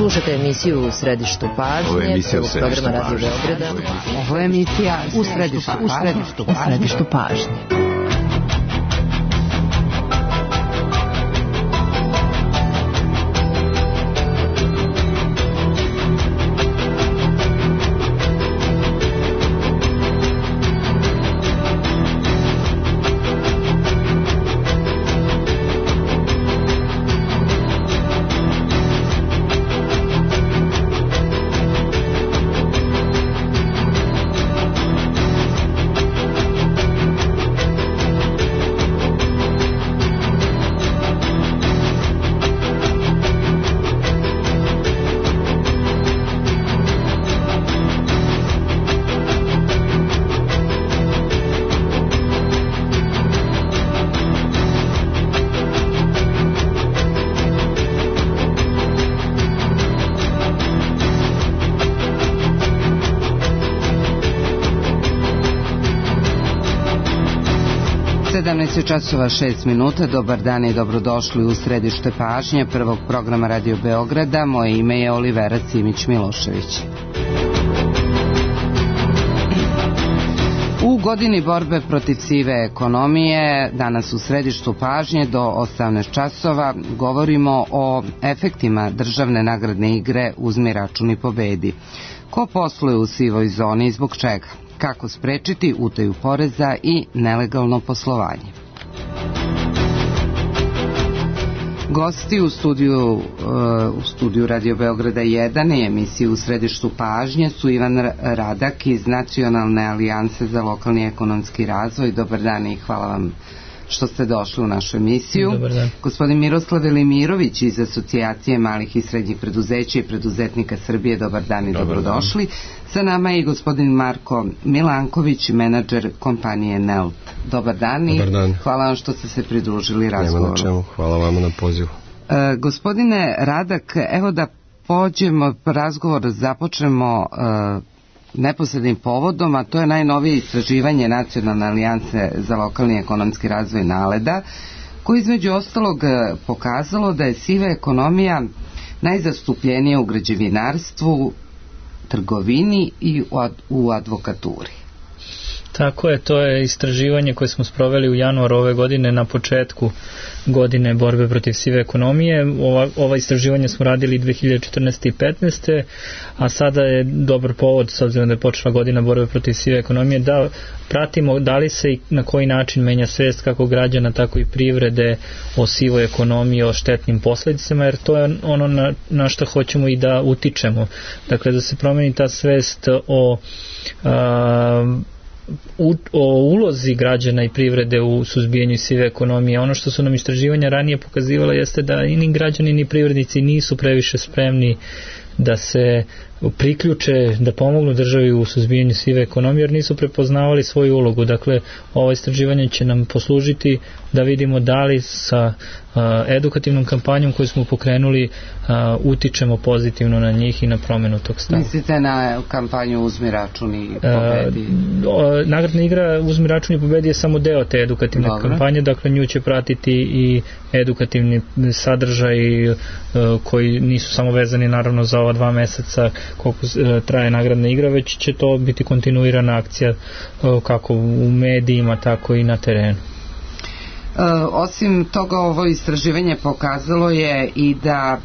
Slušate emisiju U središtu pažnje, prvog programa Radio Beograda. Ovo je emisija U središtu pažnje. Časova 6 minuta, dobar dan i dobrodošli u središte pažnje prvog programa Radio Beograda. Moje ime je Olivera Simić-Milošević. U godini borbe protiv sive ekonomije, danas u središtu pažnje do 18 časova govorimo o efektima državne nagradne igre Uzmi račun i pobedi. Ko posluje u sivoj zoni i zbog čega? Kako sprečiti utaju poreza i nelegalno poslovanje? Gosti u studiju Radio Beograda 1 i emisiji U središtu pažnje su Ivan Radak iz Nacionalne alijanse za lokalni ekonomski razvoj. Dobar dan i hvala vam što ste došli u našu emisiju. Dobar dan. Gospodin Miroslav Velimirović iz Asocijacije malih i srednjih preduzeća i preduzetnika Srbije. Dobar dan i dobrodošli. Sa nama je i gospodin Marko Milanković, menadžer kompanije NELT. Dobar dan i hvala vam što ste se pridružili razgovoru. Nema na čemu, hvala vam na pozivu. Gospodine Radak, evo da pođemo razgovor, započnemo neposrednim povodom, a to je najnovije istraživanje Nacionalne alijanse za lokalni ekonomski razvoj NALED-a, koji između ostalog pokazalo da je siva ekonomija najzastupljenija u građevinarstvu, trgovini i u advokaturi. Tako je, to je istraživanje koje smo sproveli u januaru ove godine na početku godine borbe protiv sive ekonomije. Ova istraživanja smo radili 2014. i 2015. a sada je dobar povod, s obzirom da je počela godina borbe protiv sive ekonomije, da pratimo da li se i na koji način menja svest kako građana, tako i privrede o sivoj ekonomiji, o štetnim posledicama, jer to je ono na što hoćemo i da utičemo. Dakle, da se promeni ta svest o ulozi građana i privrede u suzbijanju sive ekonomije. Ono što su nam istraživanja ranije pokazivala jeste da ni građani ni privrednici nisu previše spremni da se priključe, da pomognu državi u suzbijanju sive ekonomije, jer nisu prepoznavali svoju ulogu. Dakle, ovo istraživanje će nam poslužiti da vidimo da li sa edukativnom kampanjom koju smo pokrenuli utičemo pozitivno na njih i na promenu tog stava. Mislite na kampanju Uzmi račun i pobedi? Nagradna igra Uzmi račun i pobedi je samo deo te edukativne kampanje, dakle nju će pratiti i edukativni sadržaj koji nisu samo vezani naravno za ova 2 meseca koliko traje nagradna igra, već će to biti kontinuirana akcija kako u medijima, tako i na terenu. Osim toga, ovo istraživanje pokazalo je i da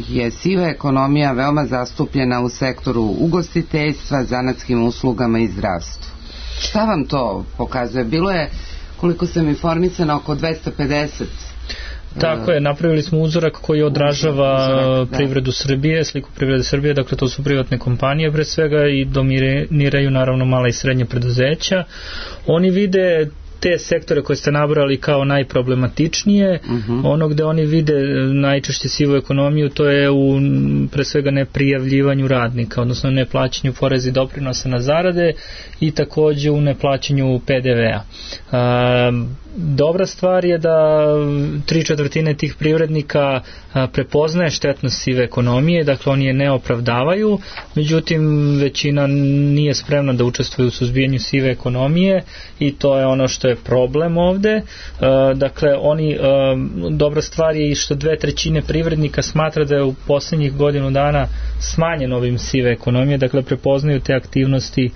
je siva ekonomija veoma zastupljena u sektoru ugostiteljstva, zanatskim uslugama i zdravstvu. Šta vam to pokazuje? Bilo je, koliko sam informisana, oko 250. Tako je, napravili smo uzorak koji odražava privredu Srbije, sliku privrede Srbije, dakle to su privatne kompanije pre svega i dominiraju naravno mala i srednja preduzeća. Oni vide te sektore koje ste nabrali kao najproblematičnije, ono gde oni vide najčešće sivu ekonomiju, to je u pre svega neprijavljivanju radnika, odnosno neplaćanju poreza i doprinosa na zarade i takođe u neplaćanju PDV-a. dobra stvar je da 3/4 tih privrednika prepoznaje štetnost sive ekonomije, dakle oni je ne opravdavaju, međutim većina nije spremna da učestvuje u suzbijanju sive ekonomije i to je ono što je problem ovde. Dakle, dobra stvar je i što 2/3 privrednika smatra da je u poslednjih godinu dana smanjen ovim sive ekonomije, dakle prepoznaju te aktivnosti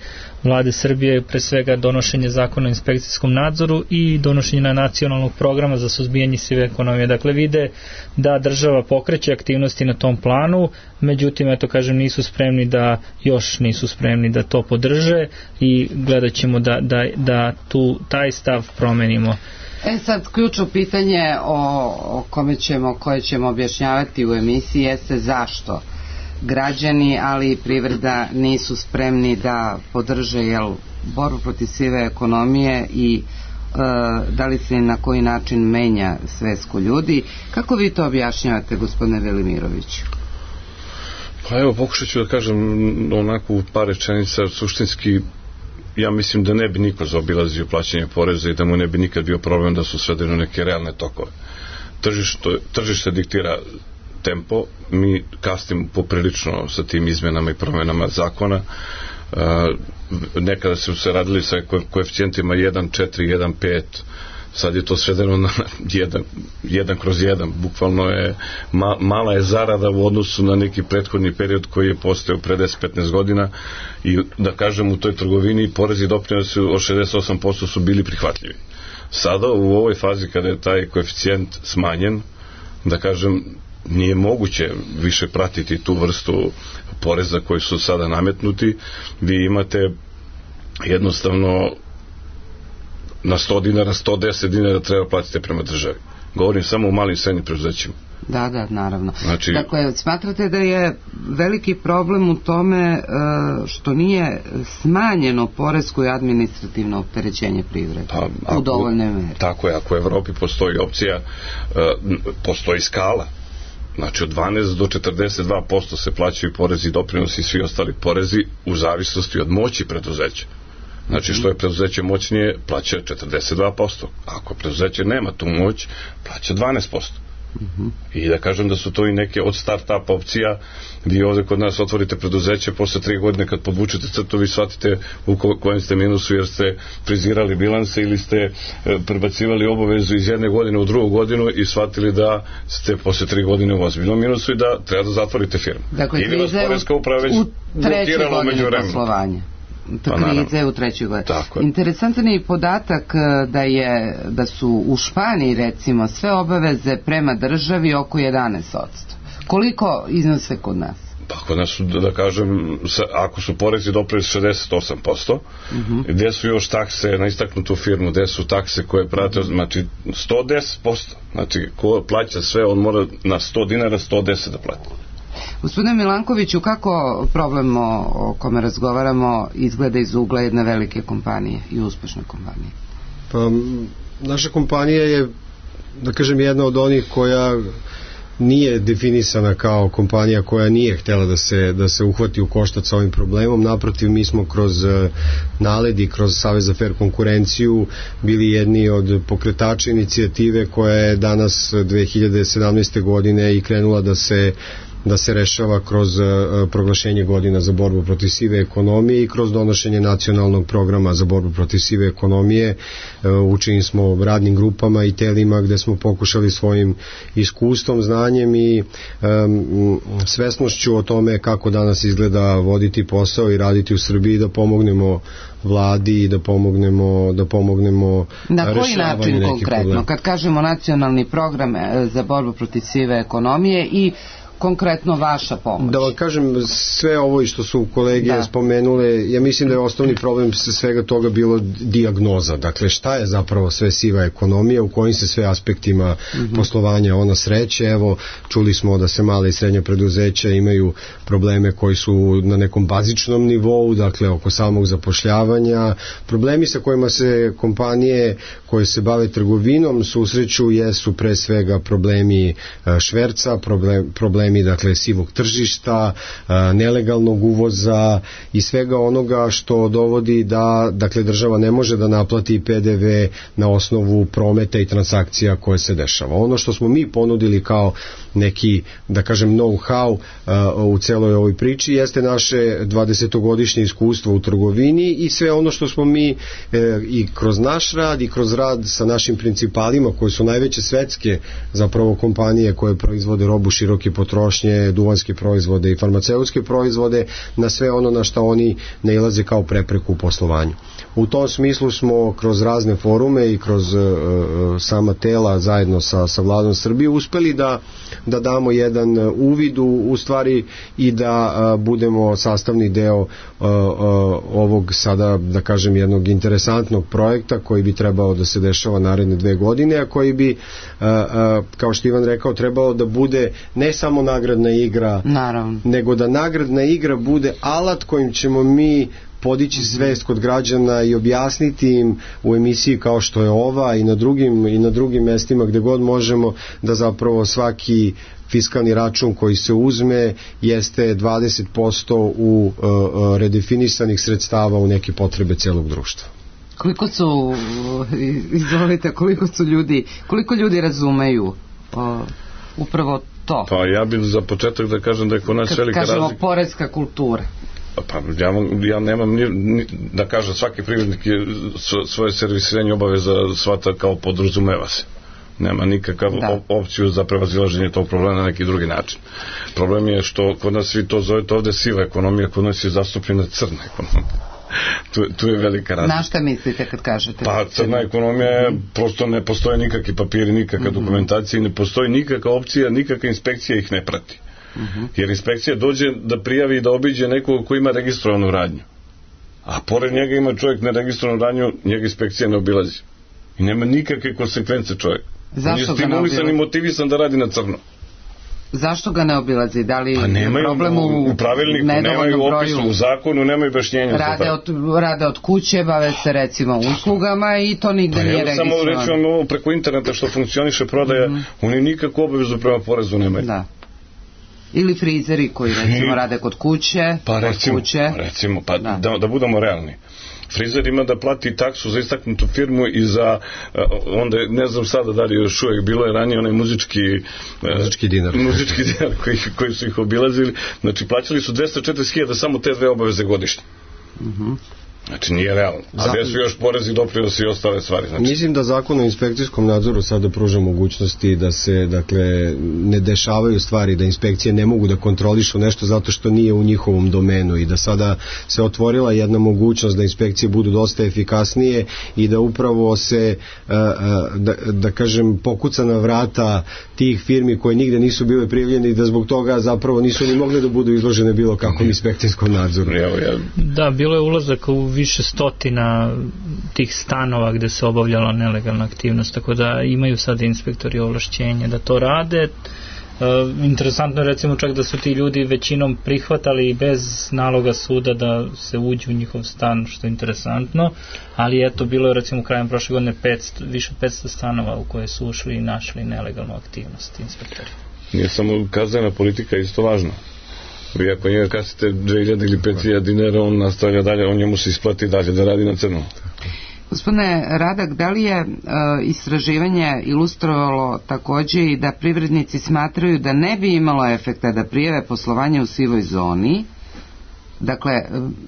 Vlade Srbije, pre svega donošenje zakona o inspekcijskom nadzoru i donošenje nacionalnog programa za suzbijanje sive ekonomije. Dakle, vide da država pokreće aktivnosti na tom planu, međutim, nisu spremni da to podrže i gledat ćemo da taj stav promenimo. Sad, ključno pitanje koje ćemo objašnjavati u emisiji jeste zašto građani, ali i privreda nisu spremni da podrže borbu protiv sive ekonomije i da li se na koji način menja svest kod ljudi. Kako vi to objašnjavate, gospodine Velimiroviću? Pa evo, pokušat ću da kažem onako u par rečenica. Suštinski, ja mislim da ne bi niko zaobilazio plaćanje poreza i da mu ne bi nikad bio problem da su svedeni neke realne tokove. Tržište diktira tempo, mi kasnimo poprilično sa tim izmenama i promenama zakona. Nekada su se radili sa koeficijentima 1,4, 1,5, sad je to svedeno na 1/1, bukvalno je mala je zarada u odnosu na neki prethodni period koji je postao pre 10-15 godina i da kažem u toj trgovini porezi i doprinosi od 68% su bili prihvatljivi. Sada u ovoj fazi kada je taj koeficijent smanjen, da kažem, nije moguće više pratiti tu vrstu poreza koji su sada nametnuti. Vi imate jednostavno na 100 dinara, 110 dinara treba platiti prema državi. Govorim samo o malim i srednjim preduzećima. Da, naravno. Dakle, smatrate da je veliki problem u tome što nije smanjeno poresko i administrativno opterećenje privrede u dovoljnoj meri? Tako je, ako u Evropi postoji opcija, postoji skala. Znači od 12 do 42% se plaćaju porezi i doprinosi i svi ostali porezi u zavisnosti od moći preduzeća. Znači što je preduzeće moćnije, plaća 42%. Ako preduzeće nema tu moć, plaća 12%. I da kažem da su to i neke od start-up opcija. Vi ovde kod nas otvorite preduzeće, posle 3 godine kad podvučete crtu vi shvatite u kojem ste minusu jer ste frizirali bilanse ili ste prebacivali obavezu iz jedne godine u drugu godinu i shvatili da ste posle 3 godine u ozbiljnom minusu i da treba da zatvorite firmu. Dakle, kriza je u trećoj godini poslovanja. Krize u trećoj godini. Interesantan je i podatak da su u Španiji recimo sve obaveze prema državi oko 11%. Koliko iznose kod nas? Pa kod nas su, da kažem, ako su porezi doprinosi 68%, gde su još takse na istaknutu firmu, gde su takse koje prate, znači 110%. Znači ko plaća sve, on mora na 100 dinara 110 da plati. Gospodine Milankoviću, kako problem o kome razgovaramo izgleda iz ugla jedne velike kompanije i uspešne kompanije? Pa, naša kompanija je, da kažem, jedna od onih koja nije definisana kao kompanija koja nije htjela da se uhvati u koštac sa ovim problemom. Naprotiv, mi smo kroz NALED i kroz Savez za fair konkurenciju bili jedni od pokretača inicijative koja je danas 2017. godine i krenula da se rešava kroz proglašenje godina za borbu protiv sive ekonomije i kroz donošenje nacionalnog programa za borbu protiv sive ekonomije. Učinili smo radnim grupama i telima gde smo pokušali svojim iskustvom, znanjem i svesnošću o tome kako danas izgleda voditi posao i raditi u Srbiji da pomognemo vladi i da pomognemo na koji način konkretno problem. Kad kažemo nacionalni program za borbu protiv sive ekonomije i konkretno vaša pomoć? Da vam kažem, sve ovo i što su kolege spomenule, ja mislim da je osnovni problem svega toga bilo dijagnoza. Dakle, šta je zapravo sve siva ekonomija, u kojim se sve aspektima poslovanja ona sreće. Evo, čuli smo da se male i srednje preduzeća imaju probleme koji su na nekom bazičnom nivou, dakle, oko samog zapošljavanja. Problemi sa kojima se kompanije koje se bave trgovinom susreću jesu pre svega problemi šverca, problemi problemi, dakle sivog tržišta, nelegalnog uvoza i svega onoga što dovodi da, dakle, država ne može da naplati PDV na osnovu prometa i transakcija koje se dešava. Ono što smo mi ponudili kao neki, da kažem, know-how u celoj ovoj priči jeste naše 20-godišnje iskustvo u trgovini i sve ono što smo mi i kroz naš rad i kroz rad sa našim principalima koji su najveće svetske zapravo kompanije koje proizvode robu široke potrošnje, duvanske proizvode i farmaceutske proizvode, na sve ono na što oni nailaze kao prepreku u poslovanju. U tom smislu smo kroz razne forume i kroz sama tela zajedno sa Vladom Srbije uspeli da damo jedan uvid u stvari i da budemo sastavni deo ovog sada, da kažem, jednog interesantnog projekta koji bi trebao da se dešava naredne 2 godine, a koji bi, kao što Ivan rekao, trebao da bude ne samo nagradna igra, naravno, nego da nagradna igra bude alat kojim ćemo mi podići svest kod građana i objasniti im u emisiji kao što je ova i na drugim mestima gde god možemo da zapravo svaki fiskalni račun koji se uzme jeste 20% u redefinisanih sredstava u neke potrebe celog društva. Koliko ljudi razumeju upravo to? Pa ja bih za početak da kažem da je kod nas velika razlika. Kažemo poreska kultura. Pa ja nemam da kažem, svaki privrednik je svoje servisiranje obaveza shvata kao podrazumeva se. Nema nikakav opciju za prevazilaženje tog problema na neki drugi način. Problem je što kod nas svi to zovete ovde siva ekonomija, kod nas je zastupljena crna ekonomija. Tu je velika razlika. Na šta mislite kad kažete? Pa crna ekonomija je, prosto ne postoje nikakvi papiri, nikakva dokumentacija, ne postoji nikakva opcija, nikakva inspekcija ih ne prati. Jer inspekcija dođe da prijavi i da obiđe nekog ko ima registrovanu radnju, a pored njega ima čovjek neregistrovanu radnju, njega inspekcija ne obilazi i nema nikakve konsekvence čovjek. On je stimulisan i motivisan da radi na crno. Zašto ga ne obilazi? Da li nemaju problem u pravilniku, nemaju opisu, u zakonu nemaju objašnjenja. Rade od kuće, bave se recimo uslugama i to nigde nije registrovano. Samo recimo preko interneta što funkcioniše prodaja, oni nikakvu obavezu prema porezu nemaju. Da. Ili frizeri koji recimo rade kod kuće. Pa recimo, da budemo realni. Frizer ima da plati taksu za istaknutu firmu i za, onda ne znam sada da li još uvijek, bilo je ranije onaj muzički dinar koji su ih obilazili, znači plaćali su 240.000 samo te 2 obaveze godišnje. Znači nije realno. A gde su još porezi, doprinosi i ostale stvari. Znači, mislim da zakon o inspekcijskom nadzoru sada pruža mogućnosti da se, dakle, ne dešavaju stvari, da inspekcije ne mogu da kontrolišu nešto zato što nije u njihovom domenu i da sada se otvorila jedna mogućnost da inspekcije budu dosta efikasnije i da upravo se, da kažem, pokuca na vrata tih firmi koje nigde nisu bile prijavljene i da zbog toga zapravo nisu ni mogli da budu izložene bilo kakvom inspekcijskom nadzoru. Da, bilo je ulazak u više stotina tih stanova gde se obavljala nelegalna aktivnost, tako da imaju sad inspektori ovlašćenje da to rade. Interesantno je recimo čak da su ti ljudi većinom prihvatali bez naloga suda da se uđu u njihov stan, što je interesantno, ali eto, bilo je recimo krajem prošle godine više od 500 stanova u koje su ušli i našli nelegalnu aktivnost inspektori. Nije samo kaznena politika isto važna. Vi ako njega kasite 2000 ili 5000 dinara, on nastavlja dalje, on njemu se isplati dalje da radi na crno. Gospodine Radak, da li je istraživanje ilustrovalo takođe i da privrednici smatraju da ne bi imalo efekta da prijave poslovanje u sivoj zoni? Dakle,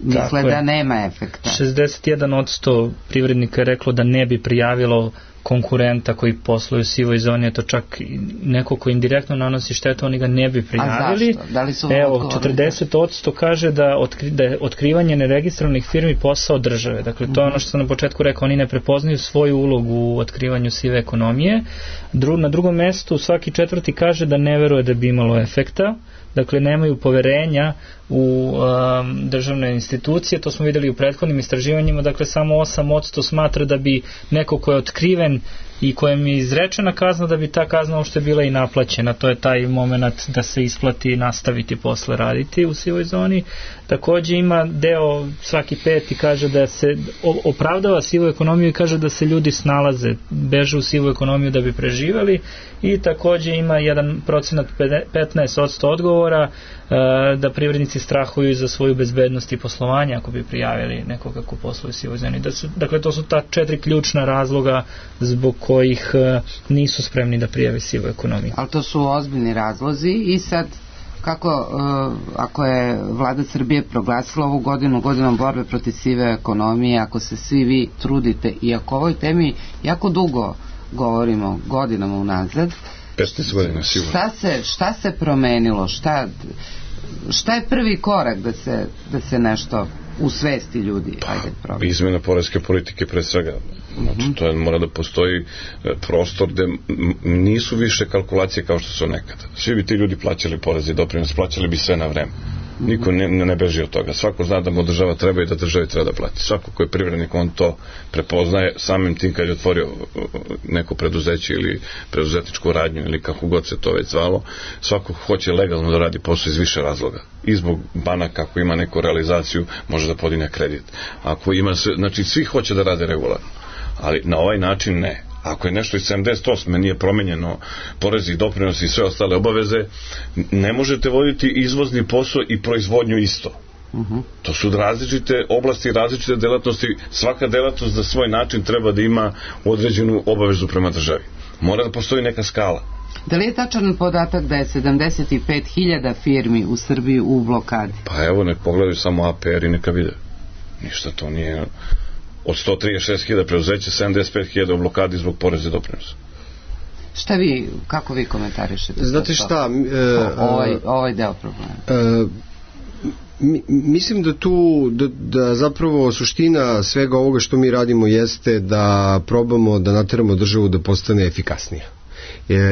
misle da nema efekta. 61% privrednika je reklo da ne bi prijavilo konkurenta koji posluju u sivoj zoni, je to čak neko ko indirektno nanosi štetu, oni ga ne bi prijavili. A zašto? Da li su evo, 40% kaže da je otkrivanje neregistrovanih firmi posao države. Dakle, to je ono što sam na početku rekao, oni ne prepoznaju svoju ulogu u otkrivanju sive ekonomije. Na drugom mestu svaki četvrti kaže da ne veruje da bi imalo efekta. Dakle, nemaju poverenja u državne institucije, to smo videli u prethodnim istraživanjima, dakle samo 8% smatra da bi neko ko je otkriven i kojem je izrečena kazna da bi ta kazna uopšte bila i naplaćena. To je taj moment da se isplati i nastaviti posle raditi u sivoj zoni. Takođe ima deo, svaki peti kaže da se opravdava sivu ekonomiju i kaže da se ljudi snalaze, beže u sivu ekonomiju da bi preživeli, i takođe ima 1% 15% odgovora da privrednici strahuju za svoju bezbednost i poslovanje ako bi prijavili nekoga ko posluje u sivoj zoni. Dakle, to su ta 4 ključna razloga zbog kojih nisu spremni da prijave sivu ekonomiju. Ali to su ozbiljni razlozi i sad kako, ako je vlada Srbije proglasila ovu godinu godinom borbe protiv sive ekonomije, ako se svi vi trudite i ako o ovoj temi jako dugo govorimo, godinama unazad, 15 godina sigurno. Šta se promenilo? Šta je prvi korak da se nešto u svesti ljudi? Izmena poreske politike pre svega. Znači, to mora da postoji prostor gde nisu više kalkulacije kao što su nekada. Svi bi ti ljudi plaćali porez i doprinos, plaćali bi sve na vreme. Niko ne beži od toga. Svako zna da mu država treba i da državi treba da plati. Svako ko je privrednik, on to prepoznaje samim tim kad je otvorio neko preduzeće ili preduzetničku radnju ili kako god se to već zvalo. Svako hoće legalno da radi posao iz više razloga. I zbog banaka, ako ima neku realizaciju, može da podigne kredit. Ako ima sve, znači svi hoće da rade regularno. Ali na ovaj način ne. Ako je nešto iz 78. nije promenjeno porezi i doprinosi i sve ostale obaveze, ne možete voditi izvozni posao i proizvodnju isto. To su različite oblasti, različite delatnosti. Svaka delatnost za svoj način treba da ima određenu obavezu prema državi. Mora da postoji neka skala. Da li je tačan podatak da je 75.000 firmi u Srbiji u blokadi? Pa evo, nek pogledaju samo APR i neka vide. Ništa to nije... Od 136.000 preduzeća, 75.000 u blokadi zbog poreza i doprinosa. Kako vi komentarišete? Znate šta? Ovaj deo problema. Mislim da zapravo suština svega ovoga što mi radimo jeste da probamo da nateramo državu da postane efikasnija.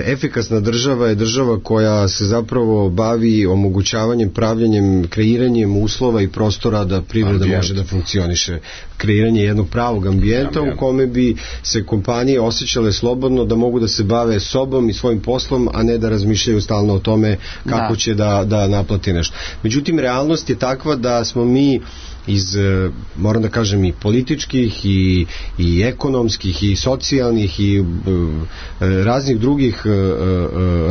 Efikasna država je država koja se zapravo bavi omogućavanjem, pravljanjem, kreiranjem uslova i prostora da privreda može da funkcioniše. Kreiranje jednog pravog ambijenta u kome bi se kompanije osjećale slobodno da mogu da se bave sobom i svojim poslom, a ne da razmišljaju stalno o tome kako će da naplati nešto. Međutim, realnost je takva da smo mi iz, moram da kažem, i političkih i ekonomskih i socijalnih i raznih drugih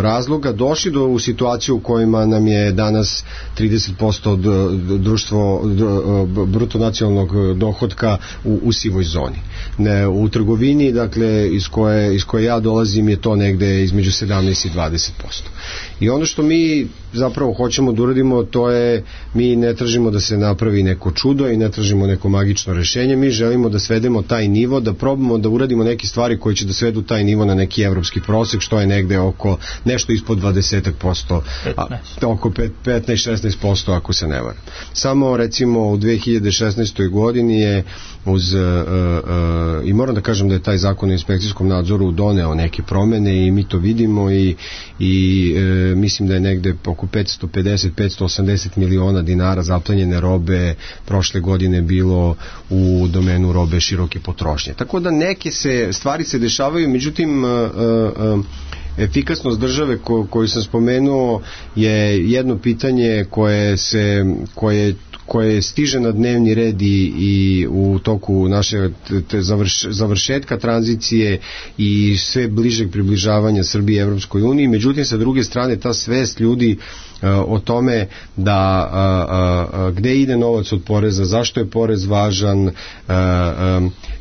razloga došli u situaciju u kojima nam je danas 30% bruto nacionalnog dohotka u sivoj zoni. U trgovini, dakle, iz koje ja dolazim, je to negde između 17 i 20%. I ono što mi zapravo hoćemo da uradimo, to je, mi ne tražimo da se napravi neko čudo i ne tražimo neko magično rešenje, mi želimo da svedemo taj nivo, da probamo da uradimo neke stvari koje će da svedu taj nivo na neki evropski prosek, što je negde oko nešto ispod 20%, oko 15-16% ako se ne varam. Samo recimo u 2016. godini je i moram da kažem da je taj zakon o inspekcijskom nadzoru doneo neke promene i mi to vidimo i mislim da je negde oko 550-580 miliona dinara zaplenjene robe prošle godine bilo u domenu robe široke potrošnje. Tako da neke stvari se dešavaju, međutim efikasnost države koju sam spomenuo je jedno pitanje koje stiže na dnevni red i u toku naše završetka tranzicije i sve bližeg približavanja Srbije Evropskoj uniji. Međutim, sa druge strane, ta svest ljudi o tome da gde ide novac od poreza, zašto je porez važan,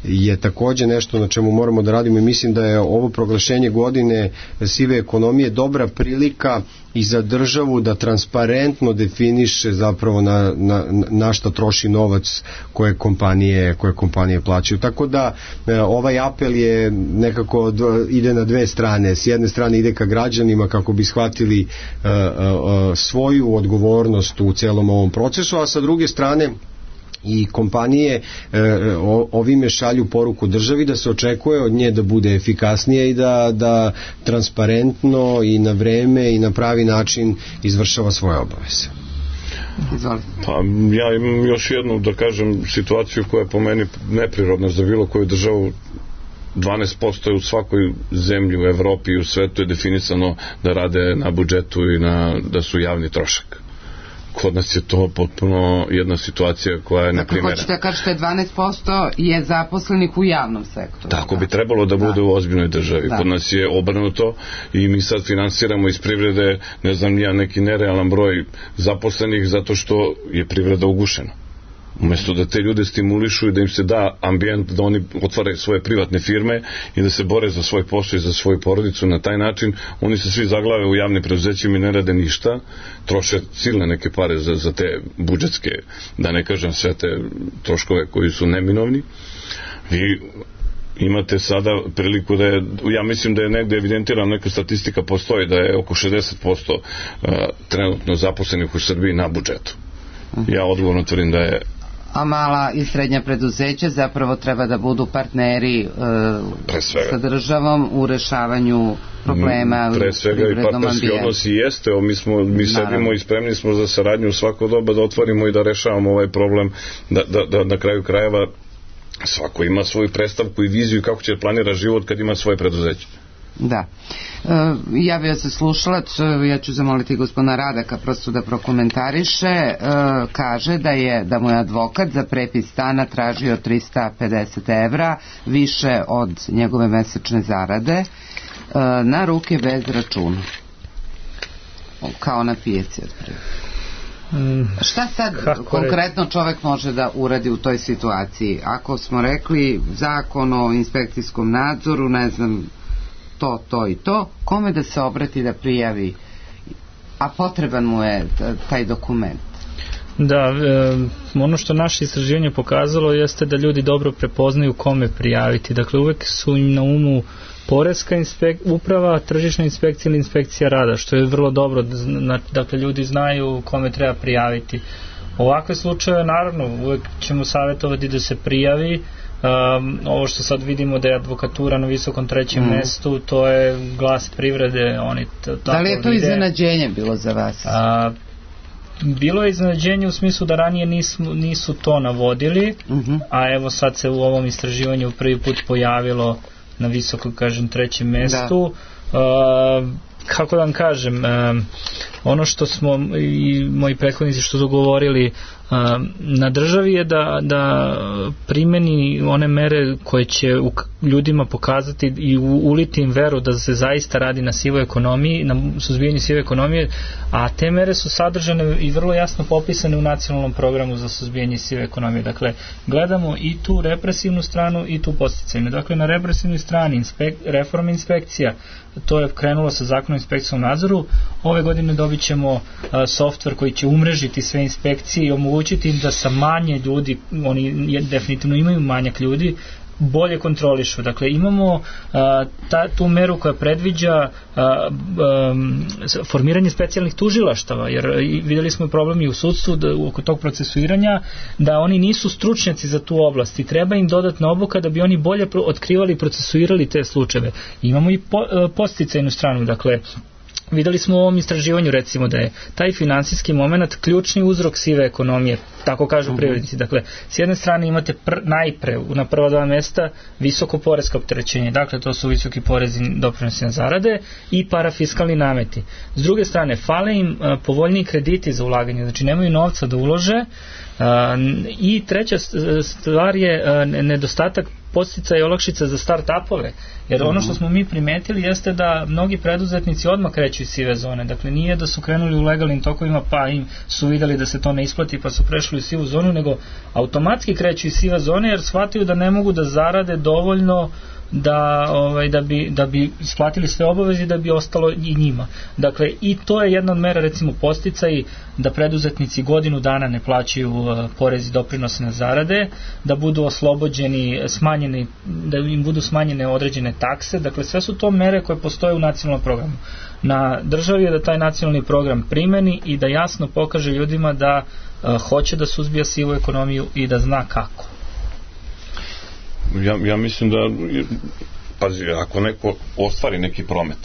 je takođe nešto na čemu moramo da radimo i mislim da je ovo proglašenje godine sive ekonomije dobra prilika i za državu da transparentno definiše zapravo na šta troši novac koje kompanije plaćaju. Tako da ovaj apel je nekako ide na dve strane. S jedne strane ide ka građanima kako bi shvatili svoju odgovornost u celom ovom procesu, a sa druge strane i kompanije ovime šalju poruku državi da se očekuje od nje da bude efikasnija i da transparentno i na vreme i na pravi način izvršava svoje obaveze. Pa ja imam još jednu, da kažem, situaciju koja je po meni neprirodna za bilo koju državu 12% je u svakoj zemlji u Evropi i u svetu je definisano da rade na budžetu i da su javni trošak. Kod nas je to potpuno jedna situacija koja je neprimerena. Dakle, hoćete da kažete 12% je zaposlenih u javnom sektoru. Tako bi trebalo da bude u ozbiljnoj državi. Kod nas je obrnuto i mi sad finansiramo iz privrede, ne znam ja, neki nerealan broj zaposlenih zato što je privreda ugušena. Umesto da te ljude stimulišu i da im se da ambijent da oni otvaraju svoje privatne firme i da se bore za svoj posao i za svoju porodicu, na taj način oni se svi zaglave u javnim preduzećima i ne rade ništa, troše silne neke pare za te budžetske, da ne kažem sve te troškove koji su neminovni. Vi imate sada priliku da je, ja mislim da je negde evidentirana neka statistika, postoji da je oko 60% trenutno zaposlenih u Srbiji na budžetu. Ja odgovorno tvrdim da je. A mala i srednja preduzeća zapravo treba da budu partneri sa državom u rešavanju problema pre svega i partnerski odnosi jeste. Mi sedimo i spremni smo za saradnju u svako doba da otvorimo i da rešavamo ovaj problem, da na kraju krajeva svako ima svoju predstavku i viziju kako će planira život kad ima svoje preduzeće. Da. Javio se slušalac, ja ću zamoliti gospodina Radaka prosto da prokomentariše. Kaže da mu je advokat za prepis stana tražio 350 evra, više od njegove mesečne zarade, na ruke bez računa, kao na pijaci otprilike. Šta sad konkretno čovek može da uradi u toj situaciji? Ako smo rekli zakon o inspekcijskom nadzoru, ne znam, to i to, kome da se obrati da prijavi, a potreban mu je taj dokument? Da, ono što naše istraživanje pokazalo jeste da ljudi dobro prepoznaju kome prijaviti. Dakle, uvek su im na umu poreska uprava, tržišna inspekcija ili inspekcija rada, što je vrlo dobro. Dakle, ljudi znaju kome treba prijaviti. Ovakve slučaje, naravno, uvek ćemo savjetovati da se prijavi. Ovo što sad vidimo da je advokatura na visokom trećem mestu, to je glas privrede. Da li je to iznenađenje bilo za vas? Bilo je iznenađenje u smislu da ranije nisu to navodili, a evo sad se u ovom istraživanju prvi put pojavilo na visokom, kažem, trećem mestu. Kako da vam kažem, ono što smo i moji prethodnici što su govorili, na državi je da primeni one mere koje će ljudima pokazati i uliti im veru da se zaista radi na sivoj ekonomiji, na suzbijanju sive ekonomije, a te mere su sadržane i vrlo jasno popisane u nacionalnom programu za suzbijanje sive ekonomije. Dakle, gledamo i tu represivnu stranu i tu podsticajnu. Dakle, na represivnoj strani reforma inspekcija, to je krenulo sa zakonom o inspekcijskom nadzoru. Ove godine dobit ćemo softver koji će umrežiti sve inspekcije i omogućiti im da sa manje ljudi, oni definitivno imaju manjak ljudi, bolje kontrolišu. Dakle, imamo tu meru koja predviđa formiranje specijalnih tužilaštava, jer videli smo problem i u sudstvu oko tog procesuiranja, da oni nisu stručnjaci za tu oblast i treba im dodatna obuka da bi oni bolje otkrivali i procesuirali te slučajeve. Imamo i podsticajnu stranu, dakle, videli smo u ovom istraživanju recimo da je taj finansijski moment ključni uzrok sive ekonomije, tako kažu privrednici. Dakle, s jedne strane imate najpre na prva dva mesta visoko poresko opterećenje, dakle to su visoki porezi, doprinosi na zarade i parafiskalni nameti. S druge strane, fale im povoljniji krediti za ulaganje, znači nemaju novca da ulože, i treća stvar je nedostatak podsticaja i olakšica za start-upove, jer ono što smo mi primetili jeste da mnogi preduzetnici odmah kreću iz sive zone. Dakle, nije da su krenuli u legalnim tokovima pa im su videli da se to ne isplati pa su prešli u sivu zonu, nego automatski kreću iz sive zone jer shvataju da ne mogu da zarade dovoljno da bi isplatili sve obaveze i da bi ostalo i njima. Dakle, i to je jedna od mera, recimo podsticaj, da preduzetnici godinu dana ne plaćaju porez i doprinose na zarade, da budu oslobođeni, smanjeni, da im budu smanjene određene takse. Dakle, sve su to mere koje postoje u nacionalnom programu. Na državi je da taj nacionalni program primeni i da jasno pokaže ljudima da hoće da suzbija sivu ekonomiju i da zna kako. Ja mislim da, pazi, ako neko ostvari neki promet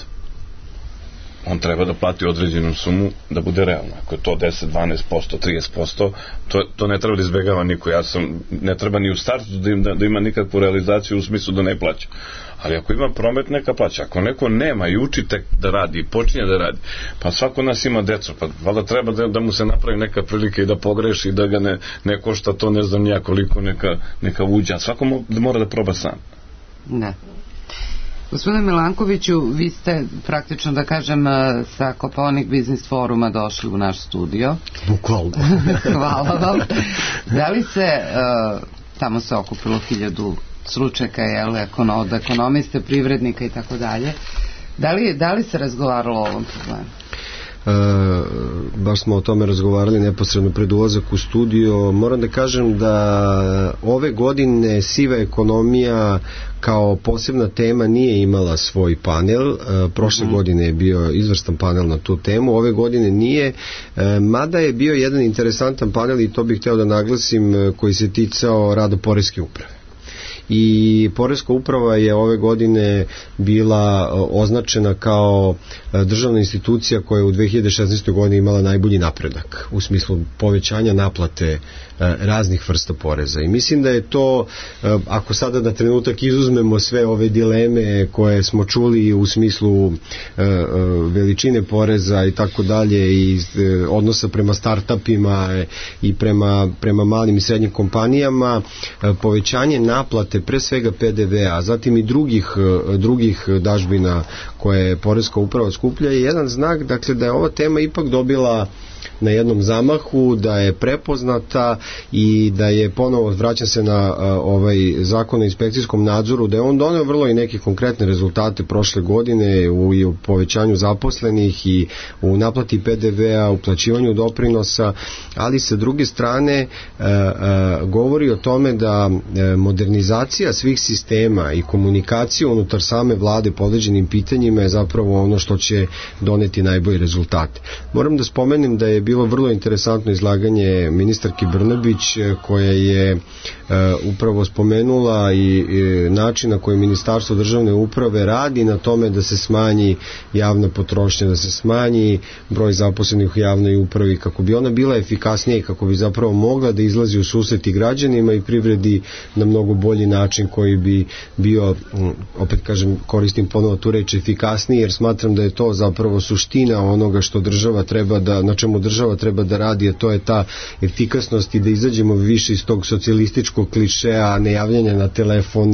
on treba da plati određenu sumu da bude realna. Ako je to 10, 12%, 30%, to ne treba da izbegava niko. Ne treba ni u startu da ima nikakvu realizaciju u smislu da ne plaća. Ali ako ima promet, neka plaća. Ako neko nema i uči tek da radi i počinje da radi, pa svako nas ima decu, pa valjda treba da mu se napravi neka prilika i da pogreši, da ga ne košta to, ne znam nija koliko neka uđa. Svako mora da proba sam. Ne. Gospodine Milankoviću, vi ste praktično, da kažem, sa Kopaonik Biznis foruma došli u naš studio. Bukvalno. Hvala vam. Da li se, tamo se okupilo 1000 stručnjaka, od ekonomiste, privrednika i tako dalje. Da li se razgovaralo o ovom problemu? Baš smo o tome razgovarali neposredno pred ulazak u studio. Moram da kažem da ove godine siva ekonomija kao posebna tema nije imala svoj panel. Prošle godine je bio izvrstan panel na tu temu, ove godine nije, mada je bio jedan interesantan panel i to bih hteo da naglasim, koji se ticao rada poreske uprave. I poreska uprava je ove godine bila označena kao državna institucija koja je u 2016. godini imala najbolji napredak u smislu povećanja naplate raznih vrsta poreza. I mislim da je to, ako sada na trenutak izuzmemo sve ove dileme koje smo čuli u smislu veličine poreza i tako dalje i odnosa prema startupima i prema malim i srednjim kompanijama, povećanje naplate pre svega PDV-a, a zatim i drugih dažbina koje poreska uprava skuplja je jedan znak, dakle, da je ova tema ipak dobila na jednom zamahu, da je prepoznata i da je ponovo, vraćam se na ovaj zakon o inspekcijskom nadzoru, da je on doneo vrlo i neke konkretne rezultate prošle godine u povećanju zaposlenih i u naplati PDV-a, u plaćivanju doprinosa, ali sa druge strane govori o tome da modernizacija svih sistema i komunikacija unutar same vlade po određenim pitanjima je zapravo ono što će doneti najbolji rezultate. Moram da spomenem da je bilo vrlo interesantno izlaganje ministarke Brnabić, koja je upravo spomenula i način na koji Ministarstvo državne uprave radi na tome da se smanji javna potrošnja, da se smanji broj zaposlenih u javnoj upravi, kako bi ona bila efikasnija i kako bi zapravo mogla da izlazi u susret i građanima i privredi na mnogo bolji način koji bi bio, opet kažem, koristim ponovo tu reč, efikasniji, jer smatram da je to zapravo suština onoga što država treba na čemu država treba da radi, a to je ta efikasnost i da izađemo više iz tog socijalističkog klišeja, nejavljanja na telefon,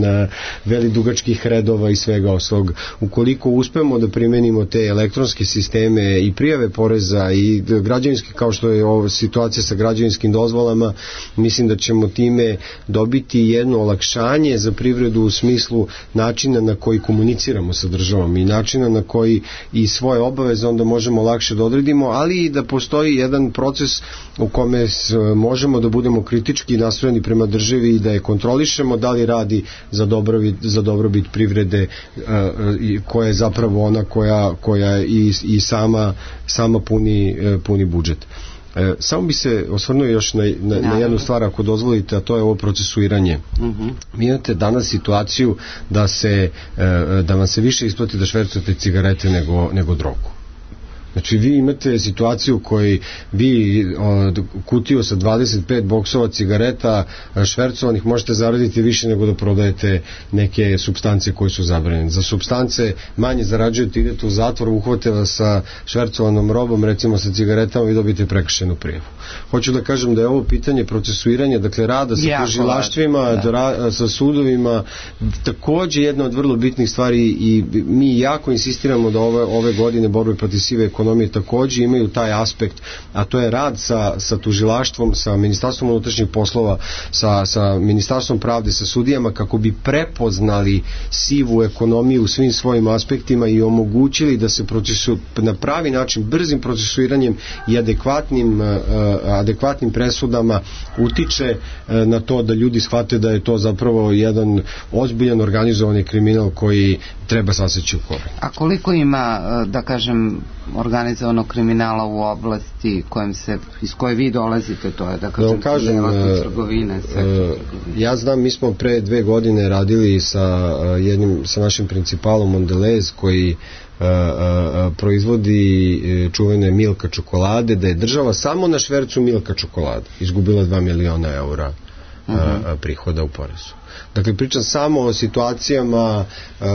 veli dugačkih redova i svega ostalog. Ukoliko uspemo da primenimo te elektronske sisteme i prijave poreza i građevinske, kao što je ova situacija sa građevinskim dozvolama, mislim da ćemo time dobiti jedno olakšanje za privredu u smislu načina na koji komuniciramo sa državom i načina na koji i svoje obaveze onda možemo lakše da odredimo, ali i da postoji jedan proces u kome možemo da budemo kritički nastrojeni prema državi i da je kontrolišemo da li radi za dobrobit privrede, koja je zapravo ona koja i sama puni budžet. Samo bi se osvrnuo još na jednu stvar, ako dozvolite, a to je ovo procesuiranje. Vi imate danas situaciju da vam se više isplati da švercujete cigarete nego drogu. Znači vi imate situaciju u kojoj vi kutiju sa 25 boksova cigareta švercovanih možete zaraditi više nego da prodajete neke supstance koje su zabranjene. Za supstance manje zarađujete, idete u zatvor, uhvate vas sa švercovanom robom, recimo sa cigaretama, i dobijete prekršajnu prijavu. Hoću da kažem da je ovo pitanje procesuiranja, dakle rada sa tužilaštvima, sa sudovima, takođe jedna od vrlo bitnih stvari, i mi jako insistiramo da ove godine borbe protiv sive ekonomije takođe imaju taj aspekt, a to je rad sa tužilaštvom, sa Ministarstvom unutrašnjih poslova, sa Ministarstvom pravde, sa sudijama, kako bi prepoznali sivu ekonomiju u svim svojim aspektima i omogućili da se na pravi način, brzim procesuiranjem i adekvatnim presudama utiče na to da ljudi shvate da je to zapravo jedan ozbiljan organizovani kriminal koji treba saseći u koren. A koliko ima, da kažem, organizovanog kriminala u oblasti iz koje vi dolazite, to je da kažem trgovine, ja znam, mi smo pre 2 godine radili sa našim principalom Mondelez koji proizvodi čuvene Milka čokolade, da je država samo na švercu Milka čokolade izgubila 2 miliona eura prihoda u porezu. Dakle, pričam samo o situacijama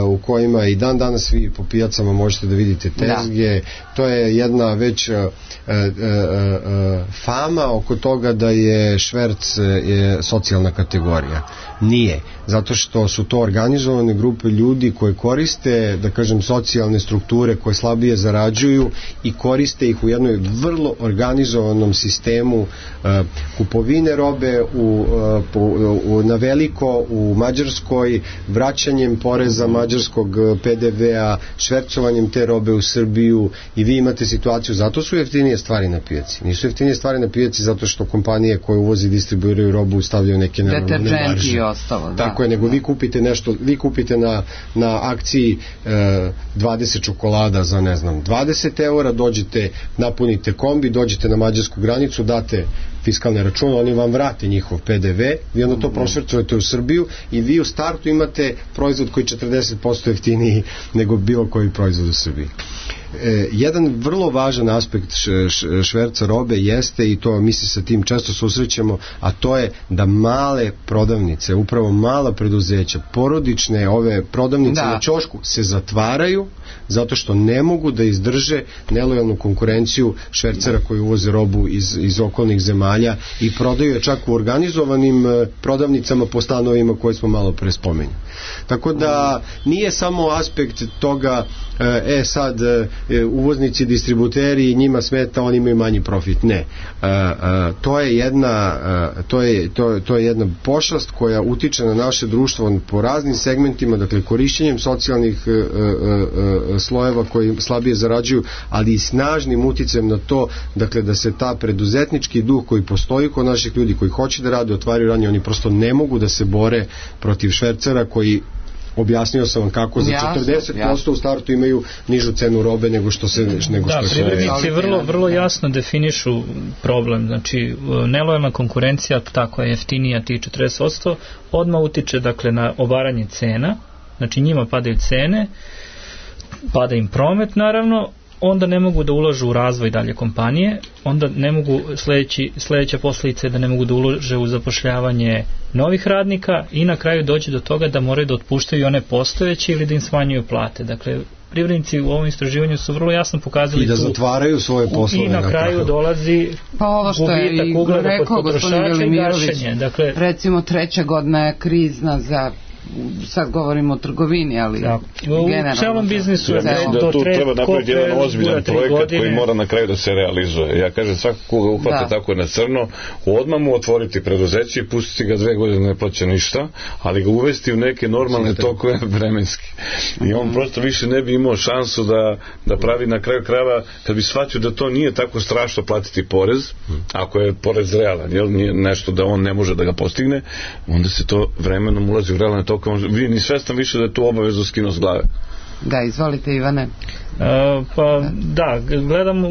u kojima i dan danas vi po pijacama možete da vidite tezge. To je jedna već fama oko toga da je šverc socijalna kategorija. Nije. Zato što su to organizovane grupe ljudi koje koriste, da kažem, socijalne strukture koje slabije zarađuju i koriste ih u jednoj vrlo organizovanom sistemu kupovine robe na veliko u Mađarskoj, vraćanjem poreza mađarskog PDV-a, švercovanjem te robe u Srbiju, i vi imate situaciju, zato su jeftinije stvari na pijaci. Nisu jeftinije stvari na pijaci zato što kompanije koje uvozi i distribuiraju robu stavljaju neke nenormalne marže. Tako je, nego vi kupite nešto, vi kupite na akciji 20 čokolada za, ne znam, 20 eura, dođete, napunite kombi, dođete na mađarsku granicu, date fiskalne račune, oni vam vrate njihov PDV, vi onda to prošvercujete u Srbiju i vi u startu imate proizvod koji je 40% jeftiniji nego bilo koji proizvod u Srbiji. Jedan vrlo važan aspekt šverca robe jeste, i to mi se sa tim često susrećemo, a to je da male prodavnice, upravo mala preduzeća, porodične ove prodavnice na ćošku se zatvaraju zato što ne mogu da izdrže nelojalnu konkurenciju švercera koji uvoze robu iz okolnih zemalja i prodaju je čak u organizovanim prodavnicama po stanovima koje smo malo pre spomenuli. Tako da nije samo aspekt toga sad uvoznici, distributeri, njima smeta, oni imaju manji profit. Ne. To je jedna pošast koja utiče na naše društvo po raznim segmentima, dakle korišćenjem socijalnih slojeva koji slabije zarađuju, ali i snažnim uticajem na to, dakle da se ta preduzetnički duh koji postoji kod naših ljudi koji hoće da rade, otvaraju radnje, oni prosto ne mogu da se bore protiv švercera koji, objasnio sam vam kako, za 40% u startu imaju nižu cenu robe nego što se... Privrednici vrlo jasno definišu problem, znači nelojalna konkurencija, tako je jeftinija tih 40%, odmah utiče, dakle, na obaranje cena, znači njima padaju cene, pada im promet naravno, onda ne mogu da ulažu u razvoj dalje kompanije, onda ne mogu, sledeća posljedica je da ne mogu da ulože u zapošljavanje novih radnika i na kraju dođe do toga da moraju da otpuštaju one postojeće ili da im smanjuju plate. Dakle, privrednici u ovom istraživanju su vrlo jasno pokazali i da zatvaraju svoje poslove. I na kraju dolazi gubitak ugleda kod potrošača i gašenje. Dakle, recimo 3. godina je krizna za, sad govorimo o trgovini, ali u celom biznisu da tu treba napraviti jedan ozbiljan projekat koji mora na kraju da se realizuje. Ja kažem, svako koga uhvate tako na crno, odmah mu otvoriti preduzeće i pustiti ga 2 godine ne plaća ništa, ali ga uvesti u neke normalne tokove vremenski. I on prosto više ne bi imao šansu da pravi na kraju krajeva, kad bi shvatio da to nije tako strašno platiti porez, ako je porez realan, jel, nije nešto da on ne može da ga postigne, onda se to vremenom ulazi u realne tokove. Vi ni svestan više da je tu obavezu skinu s glave. Da, izvolite Ivane. Pa da,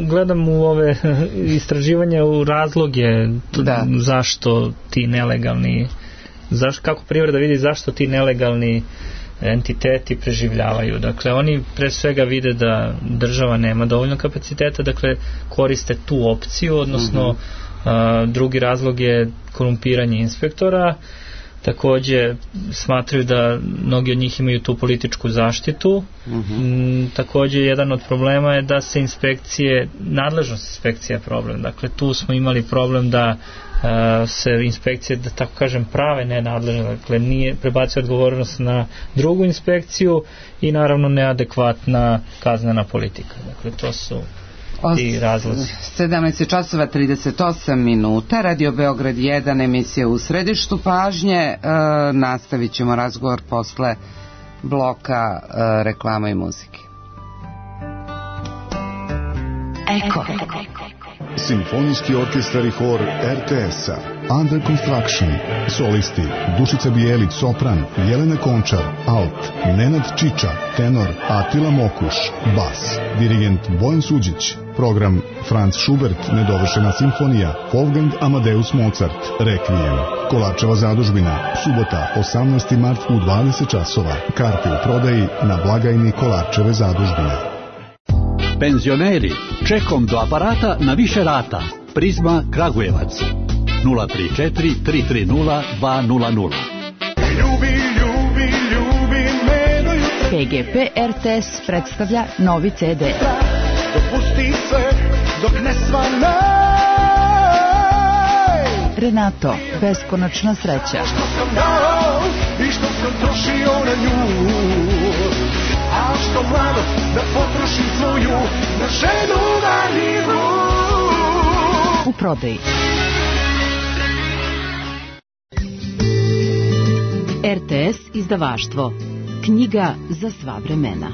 gledam u ove istraživanja u razloge zašto ti nelegalni, kako privreda vidi zašto ti nelegalni entiteti preživljavaju. Dakle, oni pre svega vide da država nema dovoljno kapaciteta, dakle koriste tu opciju, odnosno drugi razlog je korumpiranje inspektora. Takođe smatraju da mnogi od njih imaju tu političku zaštitu. Takođe jedan od problema je da se nadležnost inspekcija je problem. Dakle, tu smo imali problem da se inspekcije, da tako kažem, prave nenadležne, dakle nije prebacio odgovornost na drugu inspekciju i naravno neadekvatna kaznena politika. Dakle, to su i razlozi. 17:38 Radio Beograd 1, emisija U središtu pažnje. Nastavit ćemo razgovor posle bloka reklama i muzike. Simfonijski orkestar i hor RTS-a Under Construction. Solisti Dušica Bijelić, sopran, Jelena Končar, alt, Nenad Čiča, tenor, Atila Mokuš, bas, dirigent Bojan Suđić. Program Franz Schubert, Nedovršena simfonija, Wolfgang Amadeus Mozart, Requiem. Kolarčeva zadužbina, subota, 18. mart u 20 časova. Karte u prodaji na blagajni Kolarčeve zadužbine. Penzioneri, čekom do aparata na više rata. Prizma Kragujevac 034 330 200. PGP RTS predstavlja novi CD. Dopusti sve dok ne svanaj. Renato, beskonačna sreća. Što sam dao i što sam trošio na nju, a što mlado da potrošim svoju na ženu marljivu. U prodaji. RTS izdavaštvo. Knjiga za sva vremena.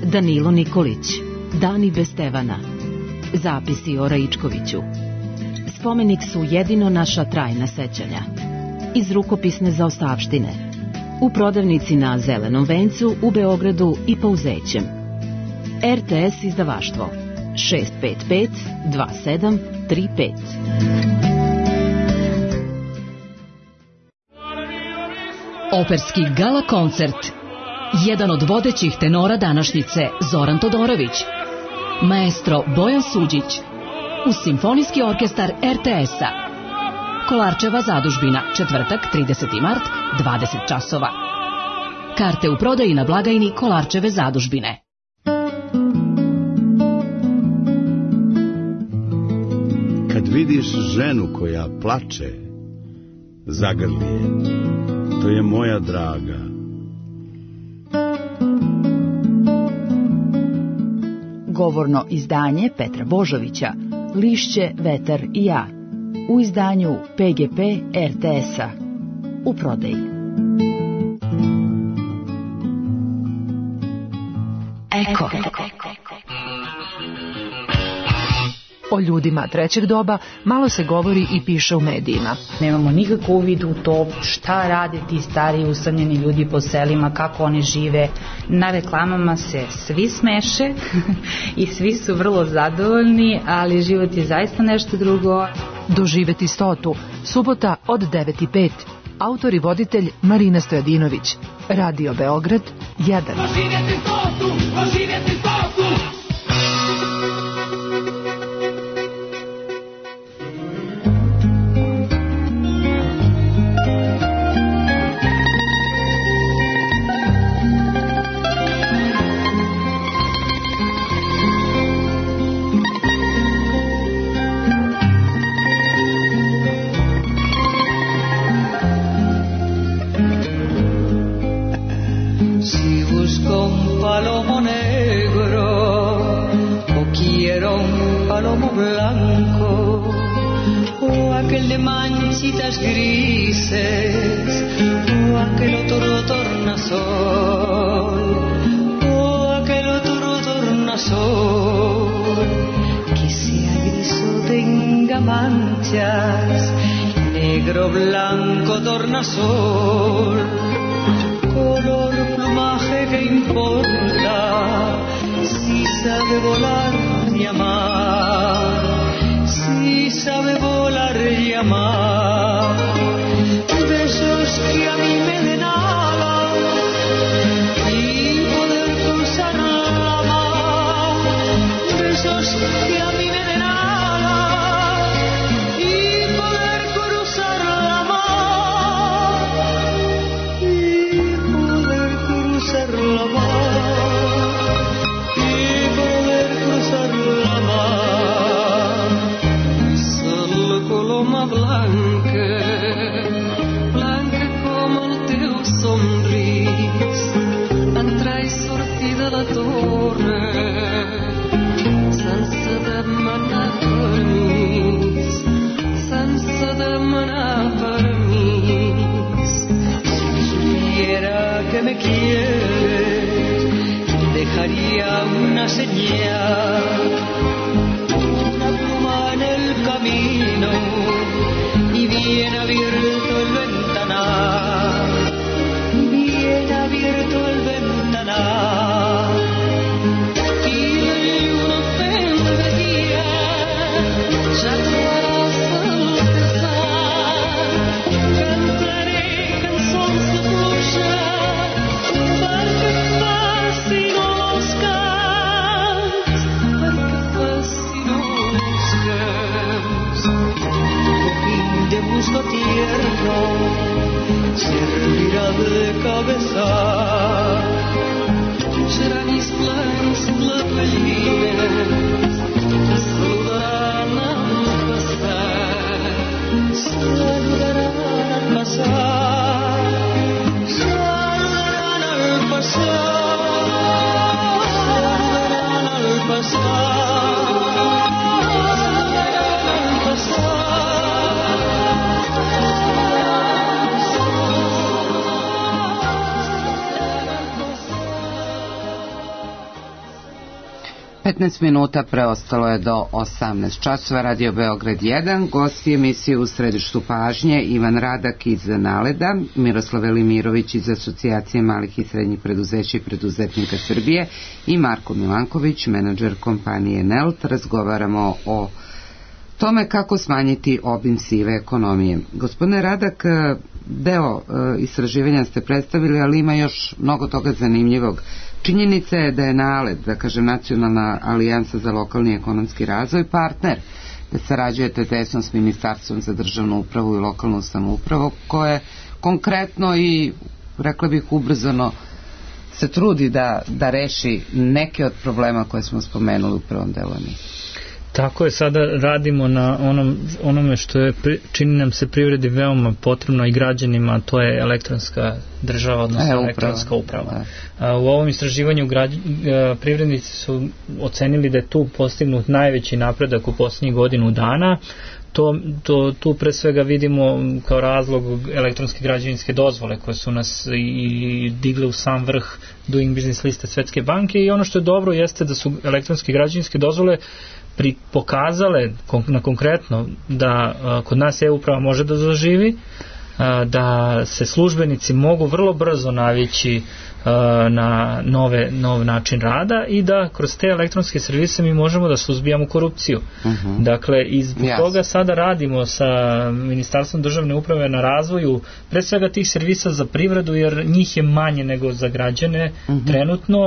Danilo Nikolić. Dani bez Stevana. Zapisi o Raičkoviću. Spomenik su jedino naša trajna sećanja. Iz rukopisne zaostavštine. U prodavnici na Zelenom vencu u Beogradu i Pauzećem. RTS izdavaštvo 655 2735. Operski gala koncert. Jedan od vodećih tenora današnjice, Zoran Todorović. Maestro Bojan Suđić. Uz Simfonijski orkestar RTS-a. Kolarčeva zadužbina, četvrtak, 30. mart, 20 časova. Karte u prodaji na blagajni Kolarčeve zadužbine. Kad vidiš ženu koja plače, zagrli je. To je moja draga. Govorno izdanje Petra Božovića, Lišće, vetar i ja. U izdanju PGP RTS-a. U prodaji. Eko. O ljudima trećeg doba malo se govori i piše u medijima. Nemamo nikakav uvid u to šta rade ti stari usamljeni ljudi po selima, kako oni žive. Na reklamama se svi smeše i svi su vrlo zadovoljni, ali život je zaista nešto drugo. Doživeti 100. Subota od 9:05. Autor i voditelj Marina Stojadinović. Radio Beograd 1. Doživeti 100, doživeti 100. Grises, o aquel otro tornasol, o aquel otro tornasol, que sea gris o tenga manchas, negro, blanco, tornasol, color, plumaje, que importa, si sabe volar y amar, si sabe volar y amar. Besos que a mí me den alas y poder cruzar la mar. Besos que a mí me den alas y poder cruzar la mar. Y poder cruzar la mar. Y poder cruzar la mar. Solo coloma blanca, entrai sortida la torre sense demanar permís, sense demanar permís. Si supiera que me quieres, dejaría una señal, una pluma en el camino y bien abierto el ventanal, bien abierto el ventanal, y uno vendría ya todas al pesar, cantaré cançons de pluja perquè fascino els camps, perquè fascino els camps. De musgo tierno servirá de cabeza, serán mis planes la gallina, saludarán al pasar, saludarán al pasar, saludarán al pasar, saludarán al pasar. 15 minuta preostalo je do 18 časova. Radio Beograd 1, gosti emisije u središtu pažnje Ivan Radak iz Naleda, Miroslav Velimirović iz Asocijacije malih i srednjih preduzeća i preduzetnika Srbije i Marko Milanković, menadžer kompanije Nelt. Razgovaramo o tome kako smanjiti obim sive ekonomije. Gospodine Radak, deo istraživanja ste predstavili, ali ima još mnogo toga zanimljivog. Činjenica je da je NALED, da kažem Nacionalna alijansa za lokalni ekonomski razvoj, partner, da sarađujete tesno s Ministarstvom za državnu upravu i lokalnu samoupravu, koje konkretno i, rekla bih, ubrzano se trudi da reši neke od problema koje smo spomenuli u prvom delu emisije. Tako je, sada radimo na onome što je, čini nam se privredi veoma potrebno i građanima, a to je elektronska država, odnosno elektronska uprava. U ovom istraživanju privrednici su ocenili da je tu postignut najveći napredak u posljednjih godinu dana. Tu pre svega vidimo kao razlog elektronske građevinske dozvole koje su nas i digle u sam vrh Doing Business liste Svetske banke, i ono što je dobro jeste da su elektronske građevinske dozvole pokazale na konkretno da kod nas e-uprava može da zaživi, da se službenici mogu vrlo brzo navići na nov način rada i da kroz te elektronske servise mi možemo da suzbijamo korupciju. Dakle, i zbog toga sada radimo sa Ministarstvom državne uprave na razvoju pre svega tih servisa za privredu, jer njih je manje nego za građane trenutno,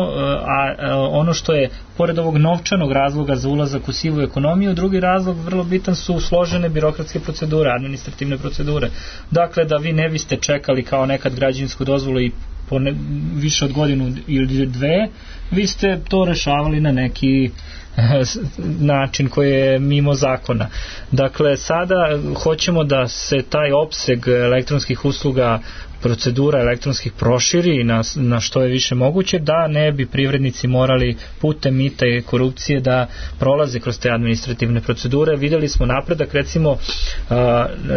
a ono što je pored ovog novčanog razloga za ulazak u sivu ekonomiju, drugi razlog vrlo bitan su složene birokratske procedure, administrativne procedure. Dakle, da vi ne biste čekali kao nekad građevinsku dozvolu i više od godinu ili dve, vi ste to rešavali na neki način koji je mimo zakona. Dakle, sada hoćemo da se taj opseg elektronskih usluga, procedura elektronskih proširi na što je više moguće, da ne bi privrednici morali putem mita i korupcije da prolaze kroz te administrativne procedure. Videli smo napredak, recimo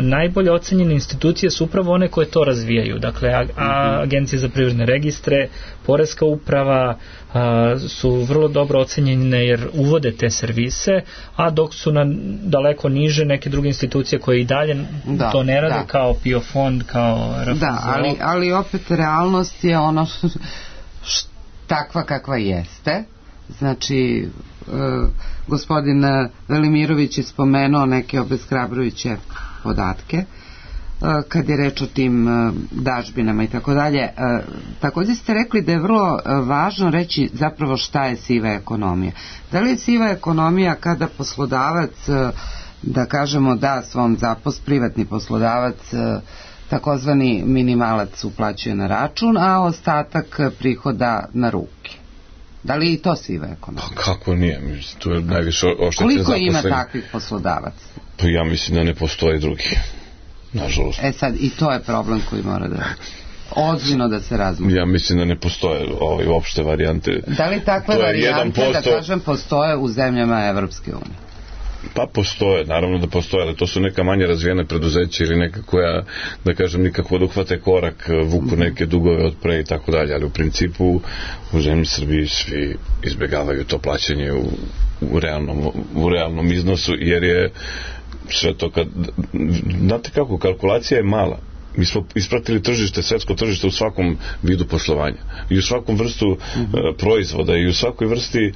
najbolje ocenjene institucije su upravo one koje to razvijaju. Dakle, agencije za privredne registre, poreska uprava su vrlo dobro ocenjene jer uvode te servise, a dok su daleko niže neke druge institucije koje i dalje to ne rade, kao PIO fond, kao RFZO. Ali opet realnost je ono takva kakva jeste. Znači, gospodin Velimirović je spomenuo neke obeshrabrujuće podatke kad je reč o tim dažbinama i tako dalje. Također ste rekli da je vrlo važno reći zapravo šta je siva ekonomija. Da li je siva ekonomija kada poslodavac, da kažemo, da svom privatni poslodavac takozvani minimalac uplaćuje na račun, a ostatak prihoda na ruke? Da li je i to siva ekonomija? Pa kako nije? To je najviše oštećen zaposlenih. Koliko ima takvih poslodavaca? Pa ja mislim da ne postoji drugi. Nažalost. Sad, i to je problem koji mora da ozbiljno da se razmatra. Ja mislim da ne postoje uopšte varijante. Da li takve varijante, 1%... da kažem, postoje u zemljama Evropske unije? Pa postoje, naravno da postoje, ali to su neka manje razvijene preduzeća ili neka koja, da kažem, nikako da uhvate korak, vuku neke dugove od pre i tako dalje, ali u principu u zemlji Srbiji svi izbjegavaju to plaćanje u realnom iznosu, jer je sve to znate kako, kalkulacija je mala. Mi smo ispratili tržište, svetsko tržište u svakom vidu poslovanja i u svakom vrstu proizvoda i u svakoj vrsti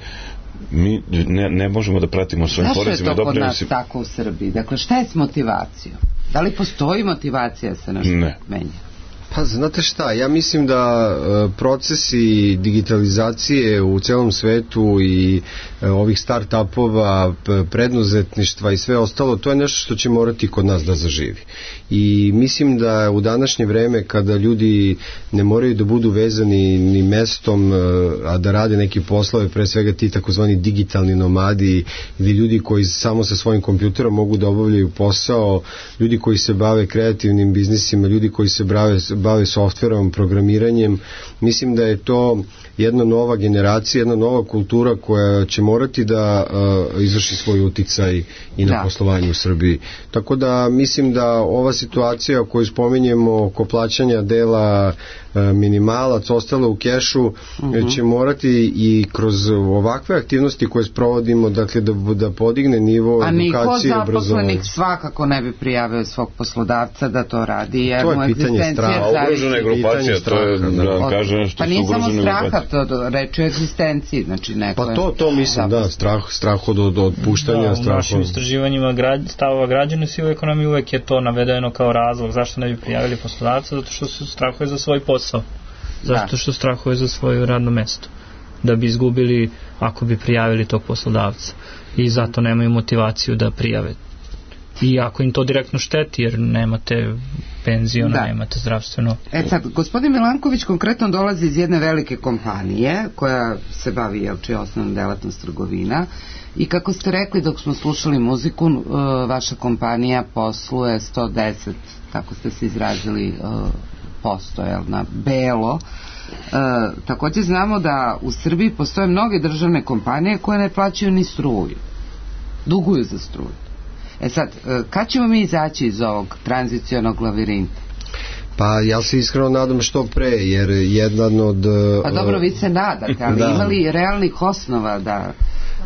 mi ne možemo da pratimo svojim porezima. Zašto je to kod nas tako u Srbiji? Dakle, šta je s motivacijom? Da li postoji motivacija se nešto menja? Pa znate šta, ja mislim da procesi digitalizacije u celom svetu i ovih start-upova, preduzetništva i sve ostalo, to je nešto što će morati kod nas da zaživi. I mislim da u današnje vreme kada ljudi ne moraju da budu vezani ni mestom, a da rade neki poslove, pre svega ti takozvani digitalni nomadi ili ljudi koji samo sa svojim kompjuterom mogu da obavljaju posao, ljudi koji se bave kreativnim biznisima, ljudi koji se bave softverom, programiranjem, mislim da je to jedna nova generacija, jedna nova kultura koja će morati da izvrši svoj uticaj i na poslovanje u Srbiji. Tako da mislim da ova situacija koju spominjemo oko plaćanja dela minimalac, ostalo u kešu, će morati i kroz ovakve aktivnosti koje sprovodimo, dakle da podigne nivo edukacije i obrazovanja. A niko zaposlenih svakako ne bi prijavio svog poslodavca da to radi, jer to je pitanje straha. Ugrožena grupacija, to je da kažem što su ugrožene. Pa nije samo straha, to reči o egzistenciji, znači neko je... Pa to mislim, da, strah od otpuštanja. U našim istraživanjima stavova građana u sivoj ekonomiji uvek je to navedeno kao razlog zašto ne bi prijavili poslodavca, zato što se strahuje za svoj posao, zato što strahuje za svoje radno mesto, da bi izgubili ako bi prijavili tog poslodavca, i zato nemaju motivaciju da prijave. I ako im to direktno šteti, jer nemate penziona, nemate zdravstveno. Sad, gospodin Milanković konkretno dolazi iz jedne velike kompanije koja se bavi, čija osnovna delatnost trgovina, i kako ste rekli dok smo slušali muziku, vaša kompanija posluje 110, tako ste se izrazili, posto, na belo. Također znamo da u Srbiji postoje mnoge državne kompanije koje ne plaćaju ni struju, duguju za struju. Sad, kad ćemo mi izaći iz ovog tranzicionog lavirinta? Pa ja se iskreno nadam što pre, jer jedan od... Pa dobro, vi se nadate, ali imali realnih osnova da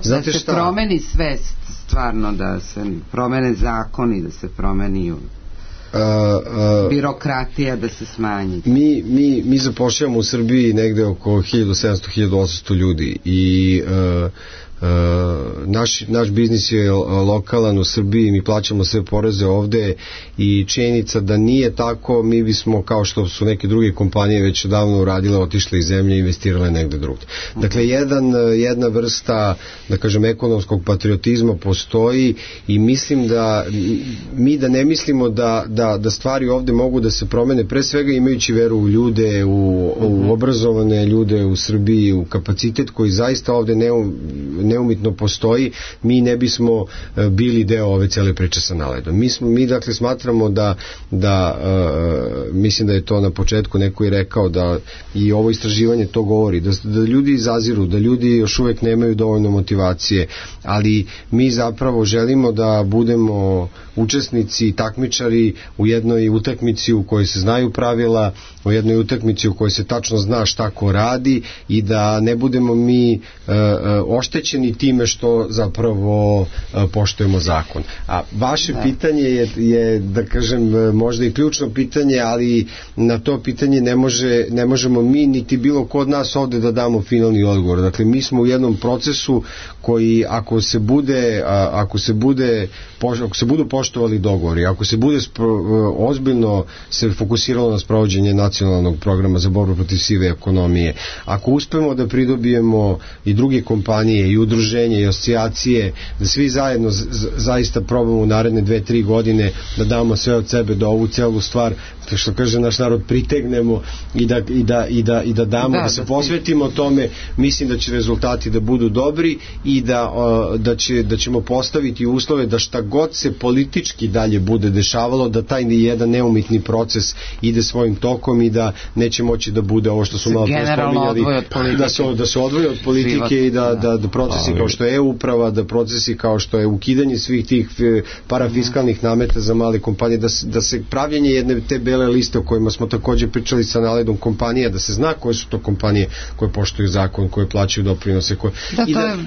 se promeni svest, stvarno, da se promene zakoni, da se promeni birokratija, da se smanji. Mi zapošljavamo u Srbiji negde oko 1700-1800 ljudi i naš biznis je lokalan u Srbiji, mi plaćamo sve poreze ovde i činjenica da nije tako, mi bismo, kao što su neke druge kompanije već davno uradile, otišle iz zemlje i investirale negde drugde. Dakle, jedna vrsta, da kažem, ekonomskog patriotizma postoji i mislim da mi ne mislimo da stvari ovde mogu da se promene, pre svega imajući veru u ljude, u obrazovane ljude u Srbiji, u kapacitet koji zaista ovde neumitno postoji, mi ne bismo bili deo ove cele priče sa naledom. Mi dakle smatramo da mislim da je to na početku neko i rekao, da i ovo istraživanje to govori, da ljudi izaziru, da ljudi još uvek nemaju dovoljno motivacije, ali mi zapravo želimo da budemo učesnici i takmičari u jednoj utakmici u kojoj se znaju pravila, u jednoj utakmici u kojoj se tačno zna šta ko radi i da ne budemo mi oštećeni time što zapravo poštujemo zakon. A vaše pitanje je, da kažem, možda i ključno pitanje, ali na to pitanje ne možemo mi niti bilo ko od nas ovde da damo finalni odgovor. Dakle, mi smo u jednom procesu koji ako se budu poštovali dogovori, ako se bude ozbiljno se fokusiralo na sprovođenje nacionalnog programa za borbu protiv sive ekonomije, ako uspemo da pridobijemo i druge kompanije i udruženje i asocijacije, da svi zajedno zaista probamo u naredne 2-3 godine da damo sve od sebe da ovu celu stvar, što kaže naš narod, pritegnemo i da damo, da se posvetimo tome, mislim da će rezultati da budu dobri i da ćemo postaviti uslove da šta god se politički dalje bude dešavalo, da taj jedan neumitni proces ide svojim tokom i da neće moći da bude ovo što su malo pre spominjali, da se odvoje od politike i da procesi kao što je e-uprava, da procesi kao što je ukidanje svih tih parafiskalnih nameta za male kompanije, da se pravljenje jedne te bele liste o kojima smo takođe pričali sa naledom kompanija, da se zna koje su to kompanije koje poštuju zakon, koje plaćaju doprinose.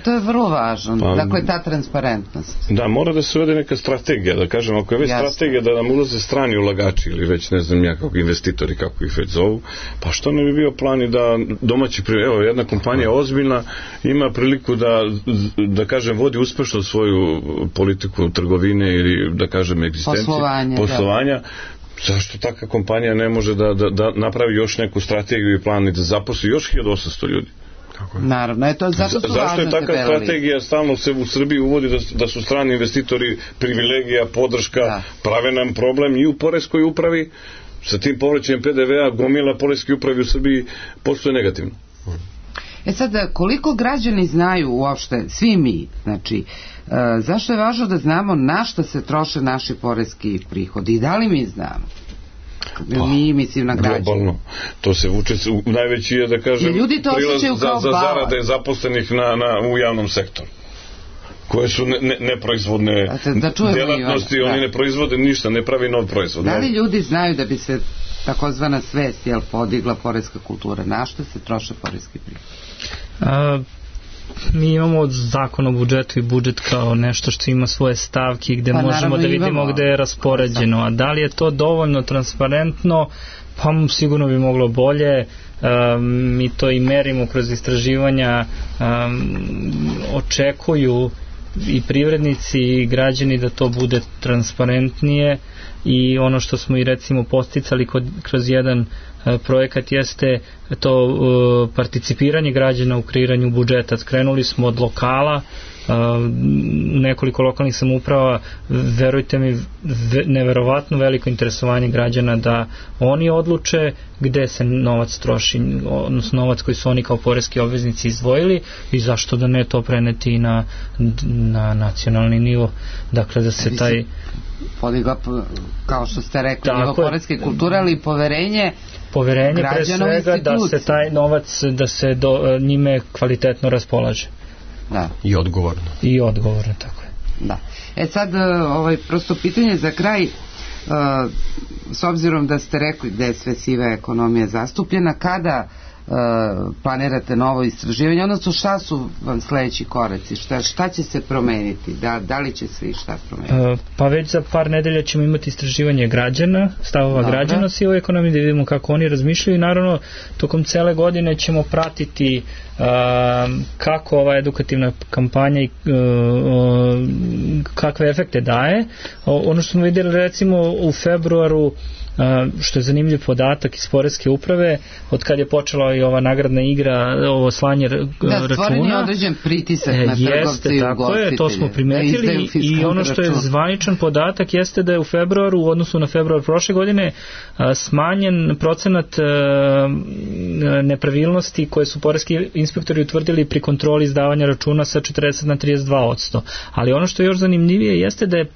To je vrlo važno. Dakle, ta transparentnost. Da, mora da se uvede neka strategija, da kažem, ako je već strategija da nam ulaze strani ulagači ili već ne znam ja kako investitori, kako ih već zovu, pa što ne bi bio plan i da domaći, evo, jedna kompanija ozbiljna ima priliku da kažem, vodi uspešno svoju politiku trgovine ili da kažem egzistencije, poslovanja. Zašto takva kompanija ne može da napravi još neku strategiju i plan i da zaposli još 1800 ljudi? Naravno, zašto je takva strategija stalno se u Srbiji uvodi da su strani investitori privilegija, podrška, prave nam problem i u poreskoj upravi sa tim povraćajem PDV-a, gomila poreske upravi u Srbiji postoje negativno. Sad, koliko građani znaju uopšte, svi mi, znači, zašto je važno da znamo na šta se troše naši poreski prihodi i da li mi znamo? Mi, mislim, na građane. Globalno. To se vuče, najveći je, da kažem, prilaz za zarade zaposlenih u javnom sektoru, koje su neproizvodne delatnosti, oni ne proizvode ništa, ne pravi nov proizvod. Da li ljudi znaju da bi se takozvana svest podigla poreska kultura? Na što se troše poreski prihod? Mi imamo zakon o budžetu i budžet kao nešto što ima svoje stavke gde možemo da vidimo gde je raspoređeno, a da li je to dovoljno transparentno, pa sigurno bi moglo bolje. Mi to i merimo kroz istraživanja, očekuju i privrednici i građani da to bude transparentnije, i ono što smo i recimo posticali kroz jedan projekat jeste to participiranje građana u kreiranju budžeta. Skrenuli smo od lokala, nekoliko lokalnih samouprava, verujte mi, neverovatno veliko interesovanje građana da oni odluče gde se novac troši, odnosno novac koji su oni kao poreski obveznici izdvojili, i zašto da ne to preneti i na nacionalni nivo. Dakle, da se taj podigla, kao što ste rekli, nivo poreske kulture, ali poverenje pre svega da se taj novac, da se njime kvalitetno raspolaže. Da. I odgovorno. I odgovorno, tako je. Da. Sad, prosto pitanje za kraj, s obzirom da ste rekli da je sve siva ekonomija zastupljena, kada planirate novo istraživanje, odnosno šta su vam sledeći koraci, šta će se promeniti, da li će se i šta promeniti? Pa već za par nedelja ćemo imati istraživanje građana, stavova građana o sivoj ekonomiji, da vidimo kako oni razmišljaju, i naravno tokom cele godine ćemo pratiti kako ova edukativna kampanja i kakve efekte daje. Ono što smo vidjeli recimo u februaru, što je zanimljiv podatak iz poreske uprave, od kad je počela i ova nagradna igra, ovo slanje računa. Da, stvoren je određen pritisak na trgovce i ugostitelje. To smo primetili, i ono što je zvaničan podatak jeste da je u februaru, u odnosu na februar prošle godine, smanjen procenat nepravilnosti koje su poreski inspektori utvrdili pri kontroli izdavanja računa sa 40 na 32%. Ali ono što je još zanimljivije jeste da je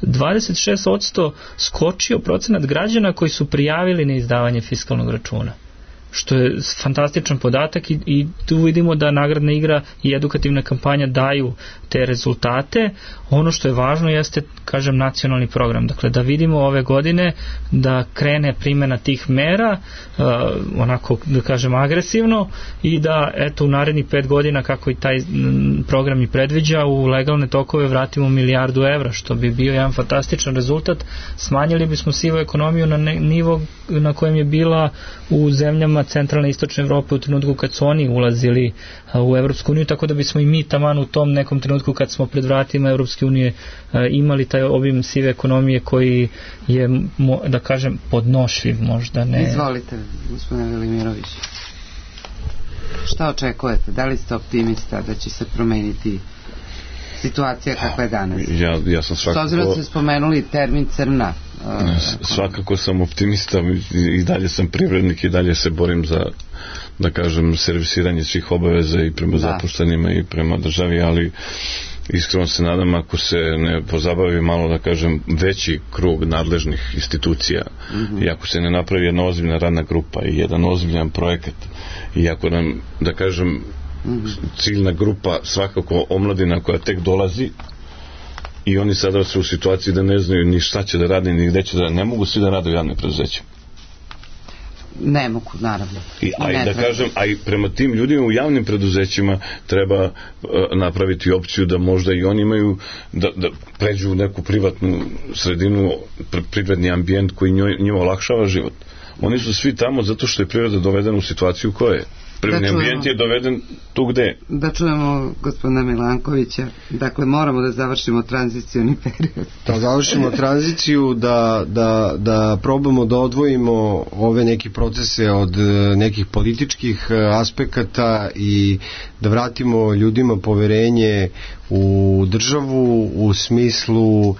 26% skočio procenat građana koji su prijavili neizdavanje fiskalnog računa, što je fantastičan podatak, i tu vidimo da nagradna igra i edukativna kampanja daju te rezultate. Ono što je važno jeste, kažem, nacionalni program, dakle da vidimo ove godine da krene primjena tih mera, onako da kažem agresivno, i da eto u narednih 5 godina, kako i taj program i predviđa, u legalne tokove vratimo 1 milijardu evra, što bi bio jedan fantastičan rezultat. Smanjili bismo sivu ekonomiju na nivo na kojem je bila u zemljama centralne i istočne Evrope u trenutku kad su oni ulazili u Evropsku uniju, tako da bismo i mi taman u tom nekom trenutku kad smo pred vratima Evropske unije imali taj obim sive ekonomije koji je, da kažem, podnošljiv možda. Ne. Izvolite, gospodine Velimirović. Šta očekujete? Da li ste optimista da će se promeniti situacija kakva je danas? Ja sam svakako... S obzirom ste spomenuli termin crna. Svakako sam optimista, i dalje sam privrednik, i dalje se borim za, da kažem, servisiranje svih obaveza i prema zaposlenima i prema državi, ali iskreno se nadam, ako se ne pozabavi malo, da kažem, veći krug nadležnih institucija, i ako se ne napravi jedna ozbiljna radna grupa i jedan ozbiljan projekat, i ako nam, da kažem, ciljna grupa svakako omladina koja tek dolazi i oni sada su u situaciji da ne znaju ni šta će da rade, ni gde će da rade. Ne mogu svi da rade u javnim preduzećima. Ne mogu, naravno. A i prema tim ljudima u javnim preduzećima treba napraviti opciju da možda i oni imaju da pređu u neku privatnu sredinu, privredni ambijent koji njima olakšava život. Oni su svi tamo zato što je privreda dovedena u situaciju koja je. Privredni ambijent je doveden tu gde. Da čujemo gospodina Milankovića. Dakle, moramo da završimo tranzicioni period. Da završimo tranziciju, da probamo da odvojimo ove neke procese od nekih političkih aspekata i da vratimo ljudima poverenje u državu u smislu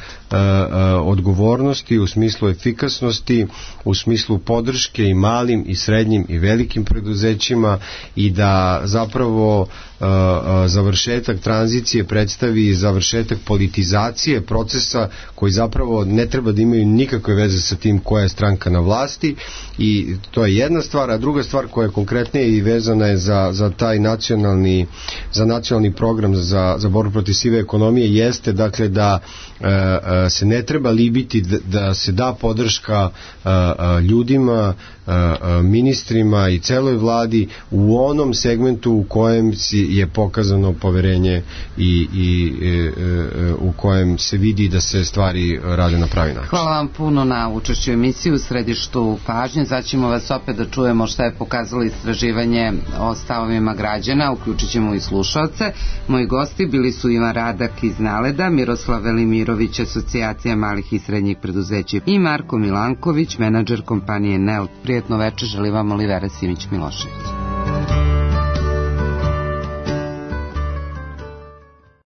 odgovornosti, u smislu efikasnosti, u smislu podrške i malim i srednjim i velikim preduzećima i da zapravo završetak tranzicije predstavi završetak politizacije procesa koji zapravo ne treba da imaju nikakve veze sa tim koja je stranka na vlasti i to je jedna stvar, a druga stvar koja je konkretnije i vezana je za taj nacionalni program za borbu protiv sive ekonomije jeste dakle da se ne treba libiti da se da podrška ljudima, ministrima i celoj vladi u onom segmentu u kojem je pokazano poverenje i u kojem se vidi da se stvari rade na pravi način. Hvala vam puno na učešću emisiji u središtu pažnje. Sad ćemo vas opet da čujemo šta je pokazalo istraživanje o stavovima građana, uključit ćemo i slušalce. Moji gosti bili su Ivan Radak iz Naleda, Miroslav Velimirović, Asocijacija malih i srednjih preduzeća i Marko Milanković, menadžer kompanije NEL. Prijetno večer, želi vam Olivera Simić-Milošević.